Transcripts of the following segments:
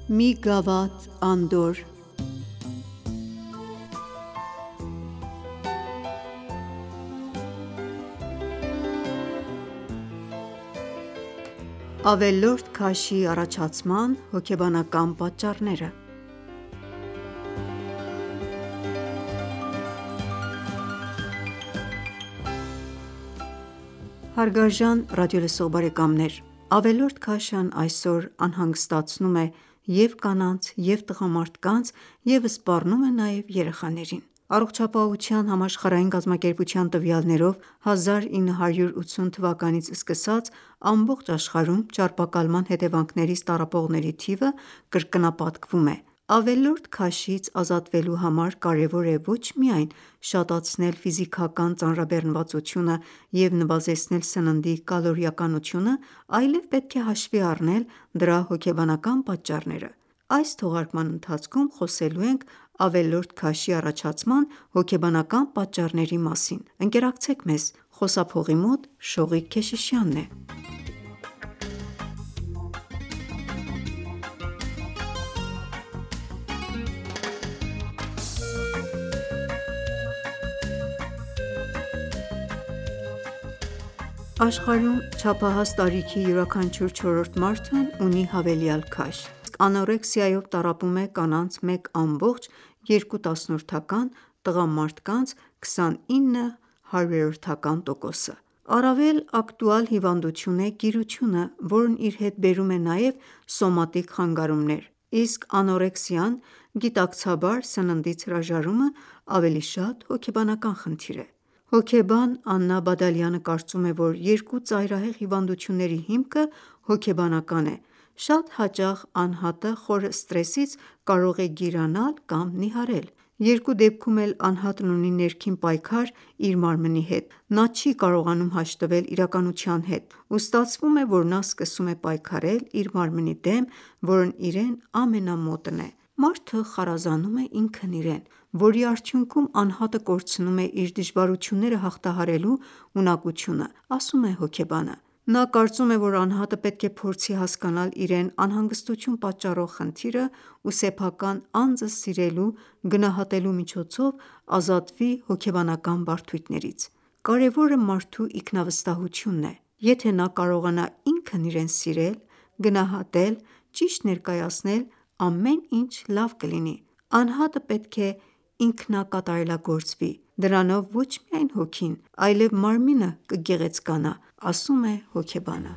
Մի գավաթ անդորր Ավելորդ քաշի առաջացման հոգեբանական պատճառները Հարգարժան ռադիոլսող բարեկամներ, ավելորդ քաշն այսօր անհանգստացնում է և՛ կանանց և՛ տղամարդկանց և սպառնում է նաև երեխաներին: Առողջապահության համաշխարհային կազմակերպության տվյալներով 1980 թվականից սկսած ամբողջ աշխարհում ճարպակալման հետևանքներից տառապողների թիվը կրկնապատկվում է: Ավելորդ քաշից ազատվելու համար կարևոր է ոչ միայն շատացնել ֆիզիկական ծանրաբեռնվածությունը և նվազեցնել սննդի կալորիականությունը, այլև պետք է հաշվի առնել դրա հոգեբանական պատճառները: Այս թողարկման ընթացքում խոսելու ենք ավելորդ քաշի առաջացման հոգեբանական պատճառների մասին: Ընկերակցեք մեզ: Խոսափողի մոտ Շողիկ Քեշիշյանն է: Աշխարհում չափահաս տարիքի յուրաքանչյուր չորրորդ մարդն ունի հավելյալ քաշ, իսկ անորեքսիայով տառապում է կանանց 1,2, տղամարդկանց 29%-ը: Առավել ակտուալ հիվանդություն է գիրությունը, որն իր հետ բերում է նաև սոմատիկ խանգարումներ, իսկ անորեքսիան գիտակցաբար սննդից հրաժարումը ավելի շատ հոգեբանական խնդիր է: Հոգեբան Աննա Բադալյանը կարծում է, որ երկու ծայրահեղ հիվանդությունների հիմքը հոգեբանական է: Շատ հաճախ անհատը խորը սթրեսից կարող է գիրանալ կամ նիհարել: Երկու դեպքում էլ անհատն ունի ներքին պայքար իր մարմնի հետ: Նա չի կարողանում հաշտվել իրականության հետ ու ստացվում է, որ նա սկսում է պայքարել իր մարմնի դեմ, որն իրեն ամենամոտն է: Մարդը խարազանում է ինքն իրեն, որի արդյունքում անհատը կորցնում է իր դժվարությունները հաղթահարելու ունակությունը, ասում է հոգեբանը: Նա կարծում է, որ անհատը պետք է փորձի հասկանալ իրեն անհանգստություն պատճառող խնդիրը ու սեփական անձը սիրելու, գնահատելու միջոցով ազատվի հոգեբանական բարդություններից: Կարևորը մարդու ինքնավստահությունն է: Եթե նա կարողանա ինքն իրեն սիրել, գնահատել, ճիշտ ներկայացնել, ամեն ինչ լավ կլինի: Անհատը պետք է ինքնակատարելագործվի: Դրանով ոչ միայն հոգին, այլև մարմինը կգեղեցկանա, ասում է հոգեբանը: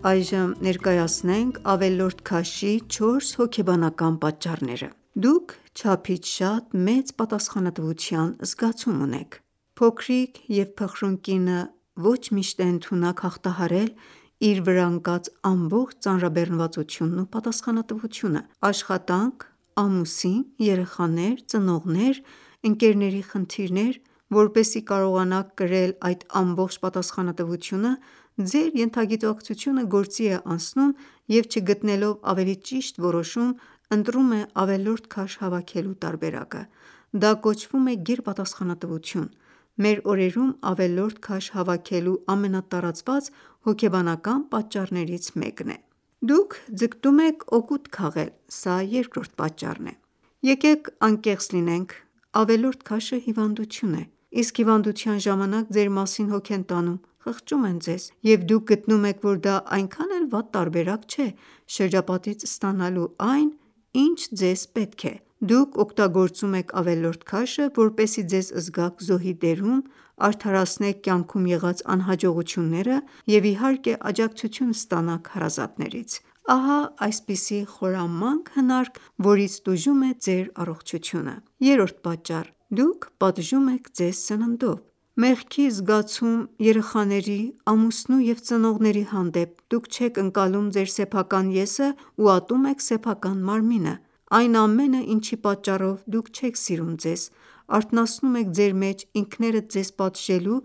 Այժմ ներկայացնենք ավելորդ քաշի 4 հոգեբանական պատճառները: Դուք չափից շատ մեծ պատասխանատվության զգացում ունեք: Փոքրիկ և փխրուն կինը ոչ միշտ է ընդունակ հաղթահարել իր վրա ընկած ամբողջ ծանրաբեռնվածությունն ու պատասխանատվությունը: Աշխատանք, ամուսին, երեխաներ, ծնողներ, ընկերների խնդիրներ: Որպեսզի կարողանաք կրել այդ ամբողջ պատասխանատվությունը, ձեր ենթագիտակցությունը գործի է անցնում և չգտնելով ավելի ճիշտ որոշում, ընտրում է ավելորդ քաշ հավաքելու տարբերակը: Դա կոչվում է գերպատասխանատվություն: Մեր օրերում ավելորդ քաշ հավաքելու ամենատարածված հոգեբանական պատճառներից մեկն է: Դուք ձգտում եք օգուտ քաղել: Սա երկրորդ պատճառն է: Եկեք անկեղծ լինենք, ավելորդ քաշը հիվանդություն է: Իսկ հիվանդության ժամանակ ձեր մասին հոգ են տանում, խղճում են ձեզ և դուք գտնում եք, որ դա այնքան էլ վատ տարբերակ չէ շրջապատից ստանալու այն, ինչ ձեզ պետք է: Դուք օգտագործում եք ավելորդ քաշը, որպեսզի ձեզ զգաք զոհի դերում, արդարացնեք կյանքում եղած անհաջողությունները և իհարկե աջակցություն ստանաք հարազատներից: Ահա այսպիսի խորամանկ հնարք, որից տուժում է ձեր առողջությունը: Երրորդ պատճառ. Դուք պատժում եք ձեզ սննդով: Մեղքի զգացում երեխաների, ամուսնու և ծնողների հանդեպ: Դուք չեք ընկալում ձեր սեփական ես-ը ու ատում եք սեփական մարմինը: Այն ամենը, ինչի պատճառով դուք չեք սիրում ձեզ: Արթնացնում եք ձեր մեջ ինքներդ ձեզ պատժելու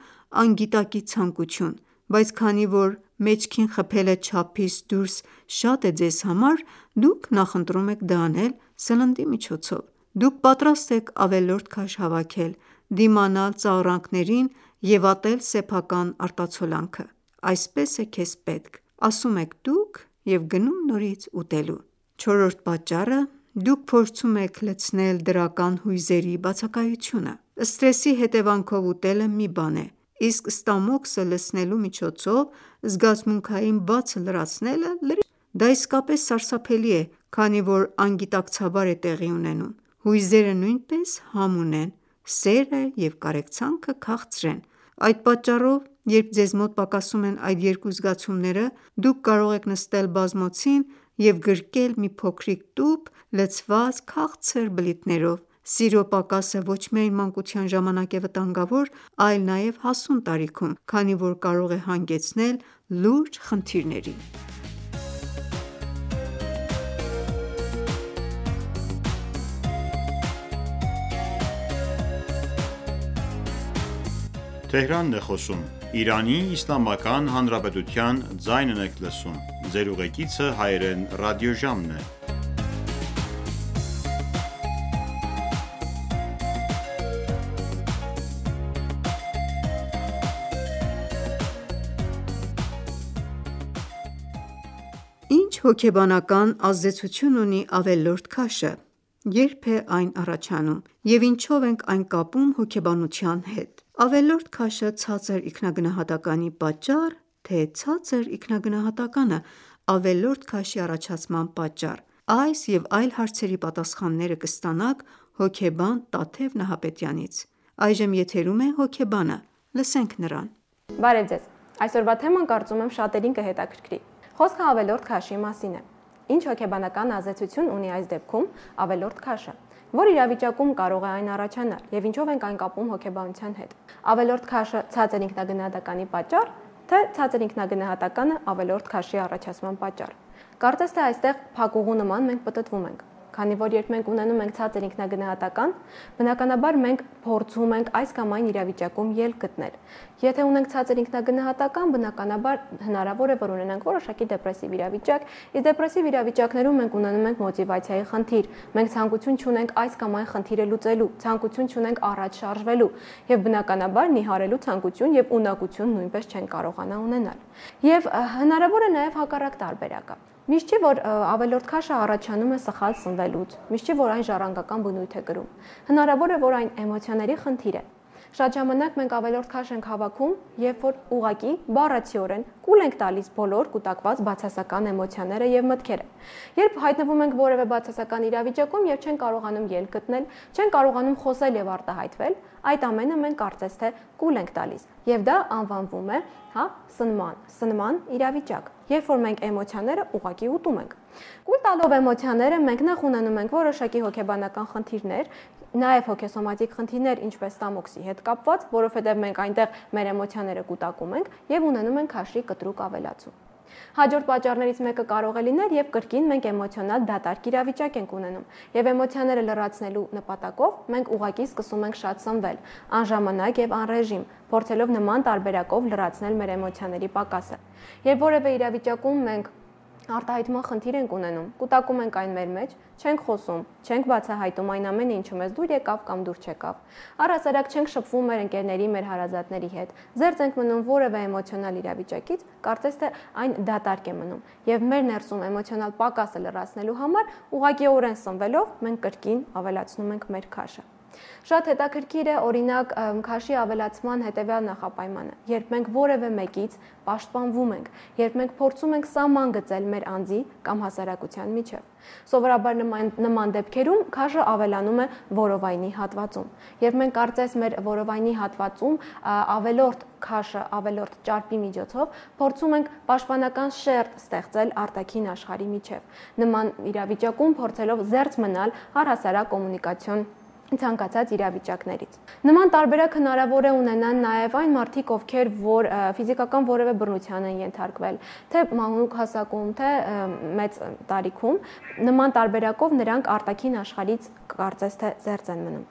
անգիտակի ցանկություն: բայց քանի որ մեջքին խփելը չափից դուրս շատ է ձեզ համար, դուք նախընտրում եք դա անել սննդի միջոցով: Դուք պատրաստ եք ավելորդ քաշ հավաքել, դիմանալ ծաղրանքներին և ատել սեփական արտացոլանքը: Այսպես է քեզ պետք, ասում եք դուք և գնում նորից ուտելու: Չորրորդ պատճառը. դուք փորձում եք լցնել դրական հույզերի բացակայությունը: Սթրեսի հետևանքով ուտելը մի բան է, իսկ ստամոքսը լցնելու միջոցով զգացմունքային բացը լրացնելը լրիվ այլ բան: Դա իսկապես սարսափելի է, քանի որ անգիտակցաբար է տեղի ունենում: Հույզերը նույնպես համ ունեն, սերը և կարեկցանքը քաղցր են: Այդ պատճառով, երբ ձեզ մոտ պակասում են այդ երկու զգացումները, դուք կարող եք նստել բազմոցին և գրկել մի փոքրիկ տուփ լցված քաղցր բլիթներով: Սիրո պակասը ոչ միայն մանկության ժամանակ է վտանգավոր, այլ նաև հասուն տարիքում, քանի որ կարող է հանգեցնել լուրջ խնդիրների: Ինչ հոգեբանական ազդեցություն ունի ավելորդ քաշը: Երբ է այն առաջանում և ինչով ենք այն կապում հոգեբանության հետ: Ավելորդ քաշը ցածր ինքնագնահատականի պատճառ, թե ցածր ինքնագնահատականը ավելորդ քաշի առաջացման պատճառ: Այս և այլ հարցերի պատասխանները կստանաք հոգեբան Տաթև Նահապետյանից: Այժմ եթերում է հոգեբանը: Լսենք նրան: Բարև ձեզ: Այսօրվա թեման կարծում եմ շատերին կհետաքրքրի: Խոսքը ավելորդ քաշի մասին է: Ինչ հոգեբանական ազդեցություն ունի այս դեպքում ավելորդ քաշը: Որ իրավիճակում կարող է այն առաջանալ և ինչով ենք այն կապում հոգեբանության հետ: Ավելորդ քաշը ցածր ինքնագնահատականի պատճառ, թե ցածր ինքնագնահատականը ավելորդ քաշի առաջացման պատճառ: Կարծես թե այստեղ փակուղու նման մենք պտտվում ենք: Քանի որ երբ մենք ունենում ենք ցածր ինքնագնահատական, բնականաբար մենք փորձում ենք այս կամ այն իրավիճակում ելք գտնել: Եթե ունենք ցածր ինքնագնահատական, բնականաբար հնարավոր է, որ ունենանք որոշակի դեպրեսիվ իրավիճակ, իսկ դեպրեսիվ իրավիճակներում մենք ունենում ենք մոտիվացիայի խնդիր, մենք ցանկություն չունենք այս կամ այն խնդիրը լուծելու, ցանկություն չունենք առաջ շարժվելու և բնականաբար նիհարելու ցանկություն և ունակություն նույնպես չենք կարողանա ունենալ: Եվ հնարավոր է նաև հակառակ տարբերակը: Միշտ չի, որ ավելորդ քաշը առաջանում է սխալ սնվելուց, միշտ չի, որ այն ժառանգական բնույթ է կրում: Հնարավոր է, որ այն էմոցիաների խնդիր է: Շատ ժամանակ մենք ավելորդ քաշ ենք հավաքում, երբ որ ուղղակի բառացիորեն կուլ ենք տալիս բոլոր կուտակված բացասական էմոցիաները և մտքերը: Երբ հայտնվում ենք որևէ բացասական իրավիճակում և չենք կարողանում ելք գտնել, չենք կարողանում խոսել և արտահայտվել, այդ ամենը մենք կարծես թե կուլ ենք տալիս և դա անվանվում է սնման իրավիճակ, երբ որ մենք էմոցիաները ուղղակի ուտում ենք: Կուլ տալով էմոցիաները մենք նախ ունենում ենք որոշակի հոգեբանական խնդիրներ, նաև հոգեսոմատիկ խնդիրներ, ինչպես ստամոքսի հետ կապված, որովհետև մենք այնտեղ մեր էմոցիաները կուտակում ենք և ունենում ենք քաշի կտրուկ ավելացում: Հաջորդ պատճառներից մեկը կարող է լինել, երբ կրկին մենք էմոցիոնալ դատարկ իրավիճակ ենք ունենում և էմոցիաները լրացնելու նպատակով մենք ուղղակի սկսում ենք շատ սնվել, անժամանակ և անռեժիմ, փորձելով նման տարբերակով լրացնել մեր էմոցիաների պակասը: Երբ որևէ իրավիճակում մենք արտահայտման խնդիր ենք ունենում, կուտակում ենք այն մեր մեջ, չենք խոսում, չենք բացահայտում այն ամենը, ինչը մեզ դուր եկավ կամ դուր չեկավ, առհասարակ չենք շփվում մեր ընկերների, մեր հարազատների հետ, զերծ ենք մնում որևէ էմոցիոնալ իրավիճակից, կարծես թե այն դատարկ է մնում և մեր ներսում էմոցիոնալ պակասը լրացնելու համար ուղղակիորեն սնվելով մենք կրկին ավելացնում ենք մեր քաշը: Շատ հետաքրքիր է օրինակ քաշի ավելացման հետևյալ նախապայմանը: Երբ մենք որևէ մեկից պաշտպանվում ենք, երբ մենք փորձում ենք սահման գծել մեր անձի կամ հասարակության միջև: Սովորաբար նման դեպքերում քաշը ավելանում է որովայնի հատվածում: Երբ մենք կարծես մեր որովայնի հատվածում ավելորդ քաշը, ավելորդ ճարպի միջոցով փորձում ենք պաշտպանական շերտ ստեղծել արտաքին աշխարհի միջև: Նման իրավիճակում փորձելով զերծ մնալ առհասարակ կոմունիկացիոն ցանկացած իրավիճակներից։ Նման տարբերակ հնարավոր է ունենան նաև այն մարդիկ, ովքեր որ ֆիզիկական որևէ բռնության են ենթարկվել, թե մանուկ հասակում, թե մեծ տարիքում, նման տարբերակով նրանք արտաքին աշխարհից կարծես թե զերծ են մնում։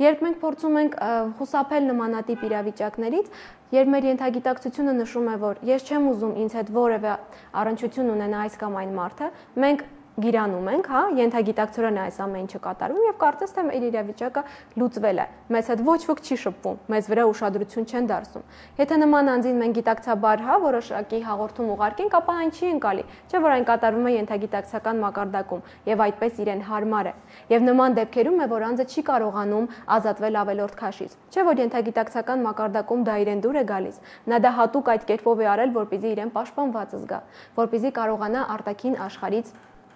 Երբ մենք փորձում ենք խուսափել նմանատիպ իրավիճակներից, երբ մեր ենթագիտակցությունը նշում է, որ ես չեմ ուզում ինձ հետ որևէ առնչություն ունենա այս կամ այն մարդը, մենք գիրանում ենք, ենթագիտակցորեն այս ամեն ինչը կատարվում եւ կարծես թե մեր իրավիճակը լուծվել է։ Մեզ հետ ոչ ոք չի շփվում, մեզ վրա ուշադրություն չեն դարձնում։ Եթե նման անձին մենք գիտակցաբար որոշակի հաղորդում ուղարկենք, ապա այն չի ընկալի, չէ՞ որ այն կատարվում է ենթագիտակցական մակարդակում եւ այդպես իրեն հարմար է։ Եվ նման դեպքերում է, որ անձը չի կարողանում ազատվել ավելորդ քաշից։ Չէ՞ որ ենթագիտակցական մակարդակում դա իրեն դուր է գալիս։ Նա դա հատուկ այդ կերպով է արել, որպեսզի իրեն պաշտպանված զգա, որպեսզի կարողանա արտաքին աշխարհից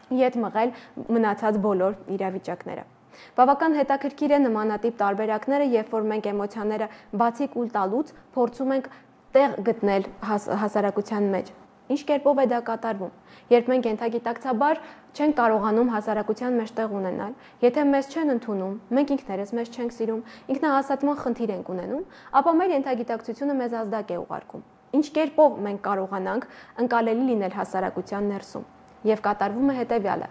ետ մղել մնացած բոլոր իրավիճակները։ Բավական հետաքրքիր է նմանատիպ տարբերակները, երբ որ մենք էմոցիաները բացի կուլ տալուց փորձում ենք տեղ գտնել հասարակության մեջ։ Ինչ կերպով է դա կատարվում։ Երբ մենք ենթագիտակցաբար չենք կարողանում հասարակության մեջ տեղ ունենալ, եթե մեզ չեն ընդունում, մենք ինքներս մեզ չենք սիրում, ինքնահաստատման խնդիր ենք ունենում, ապա մեր ենթագիտակցությունը մեզ ազդակ է ուղարկում։ Ինչ կերպով մենք կարողանանք ընկալելի լինել հասարակության ներսում։ Եվ կատարվում է հետևյալը.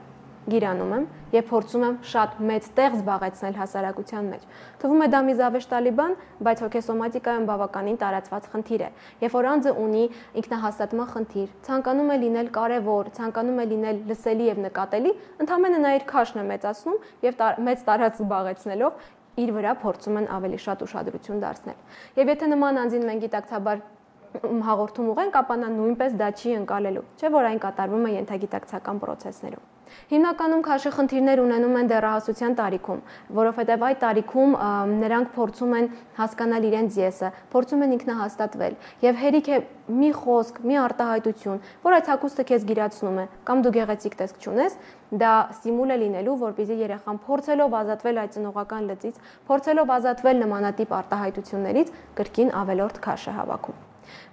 գիրանում եմ եւ փորձում եմ շատ մեծ տեղ զբաղեցնել հասարակության մեջ։ Թվում է դա մի զավեշտալի բան, բայց հոգեսոմատիկայում բավականին տարածված խնդիր է։ Երբ որ անձը ունի ինքնահաստատման խնդիր, ցանկանում է լինել կարևոր, ցանկանում է լինել լսելի եւ նկատելի, ընդհանրապես նա իր քաշն է մեծացնում եւ մեծ տարածք զբաղեցնելով իր վրա փորձում են ավելի շատ ուշադրություն դարձնել։ Եվ եթե նման անձին մենք գիտակցաբար հաղորդում ուղենք, ապա նա նույնպես դա չի ընկալելու, չէ՞ որ այն կատարվում է ենթագիտակցական process-ներում։ Հիմնականում քաշի խնդիրներ ունենում են դեռահասության տարիքում, որովհետև այդ տարիքում նրանք փորձում են հասկանալ իրենց ես-ը, փորձում են ինքնահաստատվել եւ հերիք է մի խոսք, մի արտահայտություն, որ այդ հագուստը քեզ գիրացնում է, կամ դու գեղեցիկ տեսք չունես, դա ստիմուլ է լինելու, որպեսզի երեխան փորձելով ազատվել այդ ծնողական լծից, փորձելով ազատվել նմանատիպ արտահայտություններից, կրկին ավելորդ քաշ է հավաքում։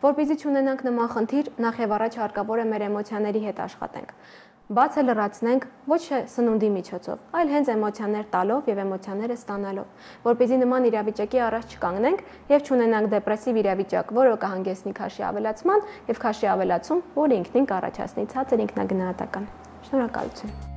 Որպեսզի չունենանք նման խնդիր, նախ եւ առաջ հարկավոր է մեր էմոցիաների հետ աշխատենք։ Բացը լրացնենք ոչ սնունդի միջոցով, այլ հենց էմոցիաներ տալով եւ էմոցիաները ստանալով, որպեսզի նման իրավիճակի առաջ չկանգնենք եւ չունենանք դեպրեսիվ իրավիճակ, որը կհանգեցնի քաշի ավելացման եւ քաշի ավելացում, որը ինքնին կառաջացնի ցածր ինքնագնահատական։ Շնորհակալություն։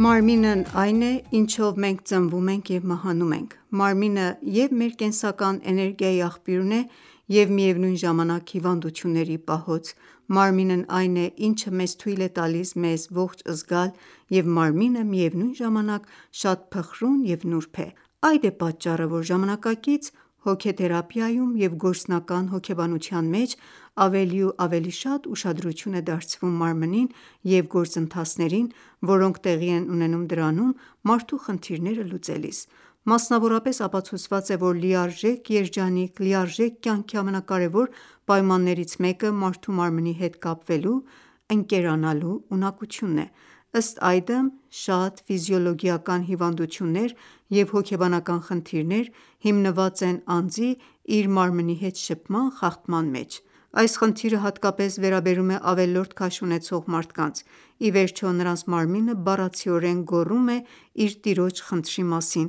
Մարմինն այն է, ինչով մենք ծնվում ենք և մահանում ենք։ Մարմինը և մեր կենսական էներգիայի աղբյուրն է և միևնույն ժամանակ հիվանդությունների պահոց։ Մարմինն այն է, ինչը մեզ թույլ է տալիս մեզ ողջ զգալ, և մարմինը միևնույն ժամանակ շատ փխրուն և նուրբ է։ Այդ է պատճառը, որ ժամանակակից հոգեթերապիայում և գործնական հոգեբանության մեջ ավելի ու ավելի շատ ուշադրություն է դարձվում մարմնին և գործընթացներին, որոնք տեղի են ունենում դրանում մարդու խնդիրները լուծելիս։ Մասնավորապես ապացուցված է, որ լիարժեք երջանիկ, լիարժեք կյանքի ամենակարևոր պայմաններից մեկը մարդու մարմնի հետ կապվելու, ընկերանալու ունակությունն է։ Ըստ այդմ, շատ ֆիզիոլոգիական հիվանդություններ և հոգեբանական խնդիրներ հիմնված են անձի իր մարմնի հետ շփման խախտման մեջ։ Այս խնդիրը հատկապես վերաբերում է ավելորդ քաշ ունեցող մարդկանց։ Ի վերջո, նրանց մարմինը բառացիորեն գոռում է իր տիրոջ խնդրի մասին,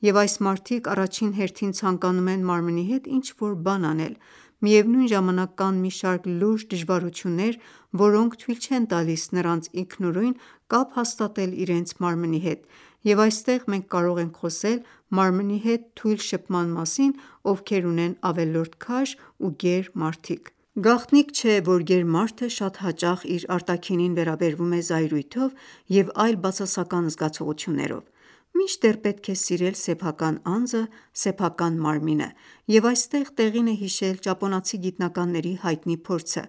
և այս մարդիկ առաջին հերթին ցանկանում են մարմնի հետ ինչ-որ բան անել։ Միևնույն ժամանակ կան մի շարք լուրջ դժվարություններ, որոնք թույլ չեն տալիս նրանց ինքնուրույն կապ հաստատել իրենց մարմնի հետ, և այստեղ մենք կարող ենք խոսել մարմնի հետ թույլ շփման մասին, ովքեր ունեն ավելորդ քաշ ու գեր մարդիկ։ Գաղտնիք չէ, որ գեր մարդը շատ հաճախ իր արտաքինին վերաբերվում է զայրույթով և այլ բացասական զգացողություններով։ Մինչդեռ պետք է սիրել սեփական անձը, սեփական մարմինը, և այստեղ տեղին է հիշել ճապոնացի գիտնականների հայտնի փորձը։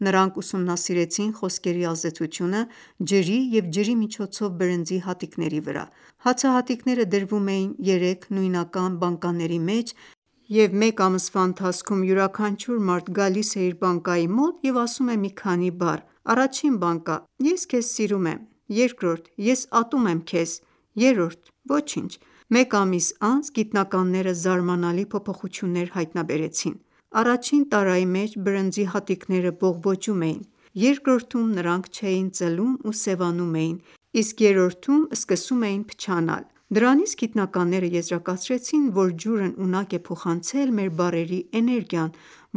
Նրանք ուսումնասիրեցին խոսքերի ազդեցությունը ջրի և ջրի միջոցով բրնձի հատիկների վրա։ Հացահատիկները դրվում էին 3 նույնական բանկաների մեջ և մեկ ամսվա ընթացքում յուրաքանչյուր մարդ գալիս է իր բանկայի մոտ և ասում է մի քանի բառ: Առաջին բանկա. Ես քեզ սիրում եմ: Երկրորդ. Ես ատում եմ քեզ: Երրորդ. Ոչինչ: Մեկ ամիս անց գիտնականները զարմանալի փոփոխություններ հայտնաբերեցին: Առաջին տարայի մեջ բրնձի հատիկները բողբոջում էին, երկրորդում նրանք չէին ծլում ու սևանում էին, իսկ երրորդում սկսում էին փչանալ: Դրանից գիտնականները եզրակացրեցին, որ ջուրն ունակ է փոխանցել մեր բառերի էներգիան,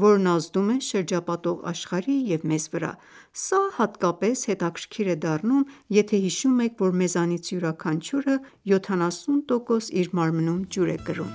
որն ազդում է շրջապատող աշխարհի և մեզ վրա: Սա հատկապես հետաքրքիր է դառնում, եթե հիշում եք, որ մեզանից յուրաքանչյուրը 70% իր մարմնում ջուր է կրում: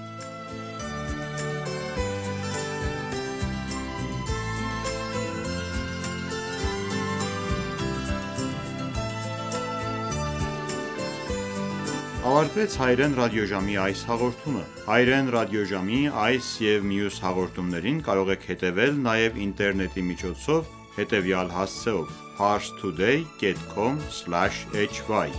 Ավարտվեց հայերեն ռադիոժամի այս հաղորդումը: Հայերեն ռադիոժամի այս և մյուս հաղորդումներին կարող եք հետևել նաև ինտերնետի միջոցով հետևյալ հասցեով՝ parstoday.com/hy